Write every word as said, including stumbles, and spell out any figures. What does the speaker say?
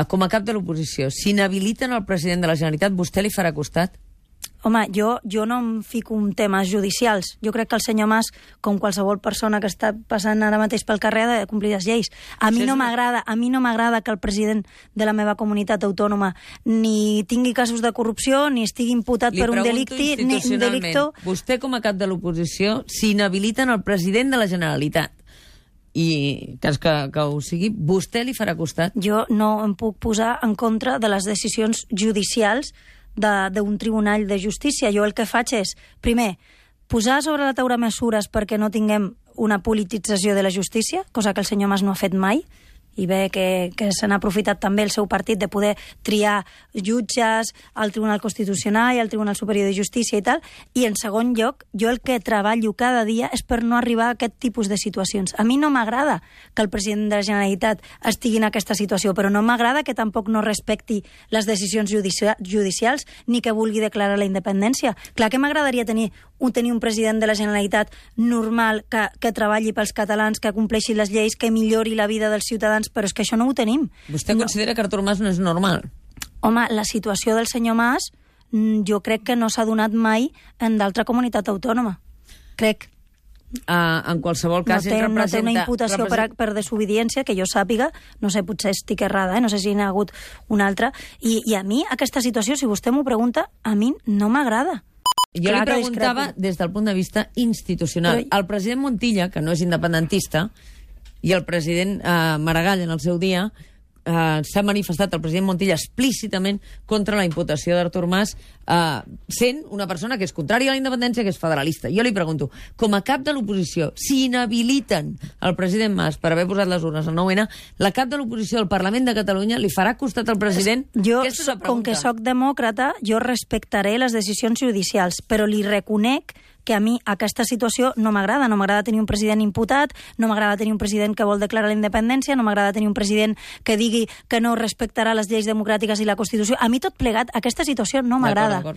com a cap de l'oposició, si inhabiliten el president de la Generalitat, vostè li farà costat? Home, jo, jo no em fico en temes judicials. Jo crec que el senyor Mas, com qualsevol persona que està passant ara mateix pel carrer, ha de complir les lleis. A mi no m'agrada, a mi no m'agrada que el president de la meva comunitat autònoma ni tingui casos de corrupció, ni estigui imputat per un delicte, ni un delicto... Vostè, com a cap de l'oposició, si inhabiliten el president de la Generalitat, i cas que, que ho sigui, vostè li farà costat? Jo no em puc posar en contra de les decisions judicials d'un tribunal de justícia. Jo el que faig és, primer, posar sobre la taula mesures perquè no tinguem una politització de la justícia, cosa que el senyor Mas no ha fet mai, i bé que, que se n'ha aprofitat també el seu partit de poder triar jutges al Tribunal Constitucional i al Tribunal Superior de Justícia i tal, i en segon lloc, jo el que treballo cada dia és per no arribar a aquest tipus de situacions. A mi no m'agrada que el president de la Generalitat estigui en aquesta situació, però no m'agrada que tampoc no respecti les decisions judici judicials ni que vulgui declarar la independència. Clar que m'agradaria tenir un, tenir un president de la Generalitat normal, que, que treballi pels catalans, que compleixi les lleis, que millori la vida dels ciutadans, però és que això no ho tenim. Vostè no. considera que Artur Mas no és normal? Home, la situació del senyor Mas jo crec que no s'ha donat mai en d'altra comunitat autònoma. Crec. Uh, en qualsevol cas, no té, representa... no té una imputació representa... per, per desobediència, que jo sàpiga, no sé, potser estic errada, eh? No sé si n'hi ha hagut una altra. I, I a mi, aquesta situació, si vostè m'ho pregunta, a mi no m'agrada. Jo Clar li preguntava des del punt de vista institucional. Però... El president Montilla, que no és independentista, i el president eh, Maragall, en el seu dia, eh, s'ha manifestat el president Montilla explícitament contra la imputació d'Artur Mas, eh, sent una persona que és contrària a la independència, que és federalista. Jo li pregunto, com a cap de l'oposició, si inhabiliten el president Mas per haver posat les urnes al nou ene, la cap de l'oposició del Parlament de Catalunya li farà costat al president? Jo, com que sóc demòcrata, jo respectaré les decisions judicials, però li reconec que a mi aquesta situació no m'agrada. No m'agrada tenir un president imputat, no m'agrada tenir un president que vol declarar la independència, no m'agrada tenir un president que digui que no respectarà les lleis democràtiques i la Constitució. A mi tot plegat, aquesta situació no m'agrada.